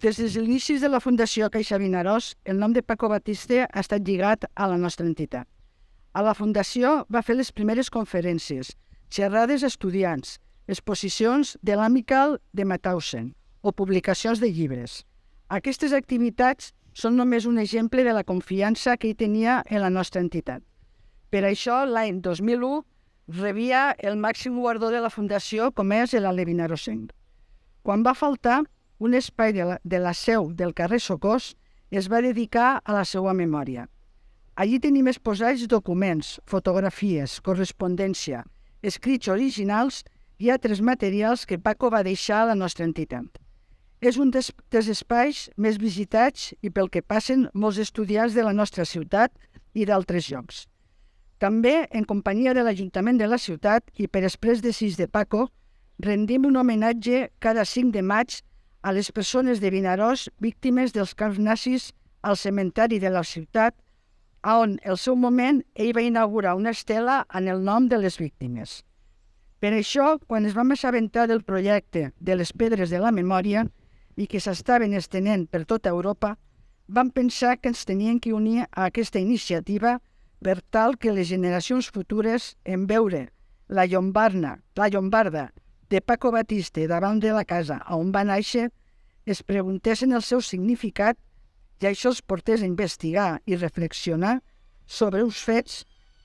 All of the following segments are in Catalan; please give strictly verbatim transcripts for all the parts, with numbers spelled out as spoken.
Des dels inicis de la Fundació Caixa Vinaròs, el nom de Paco Batiste ha estat lligat a la nostra entitat. A la Fundació va fer les primeres conferències, xerrades a estudiants, exposicions de l'Amical de Mauthausen o publicacions de llibres. Aquestes activitats són només un exemple de la confiança que hi tenia en la nostra entitat. Per això, l'any dos mil u, rebia el màxim guardó de la Fundació, com és l'Ale Vinaròsenc. Quan va faltar, un espai de la, de la seu del carrer Socors es va dedicar a la seva memòria. Allí tenim exposats documents, fotografies, correspondència, escrits originals i altres materials que Paco va deixar a la nostra entitat. És un dels, dels espais més visitats i pel que passen molts estudiants de la nostra ciutat i d'altres llocs. També, en companyia de l'Ajuntament de la ciutat i per exprés desig de Paco, rendim un homenatge cada cinc de maig a les persones de Vinaròs víctimes dels camps nazis al cementeri de la ciutat, on, al seu moment, ell va inaugurar una estela en el nom de les víctimes. Per això, quan es vam assabentar del projecte de les Pedres de la Memòria i que s'estaven estenent per tota Europa, vam pensar que ens tenien que unir a aquesta iniciativa per tal que les generacions futures, en veure la llombarda, la llombarda de Paco Batiste davant de la casa on va néixer, es preguntessin el seu significat i això els portés a investigar i reflexionar sobre uns fets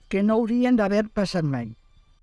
que no haurien d'haver passat mai.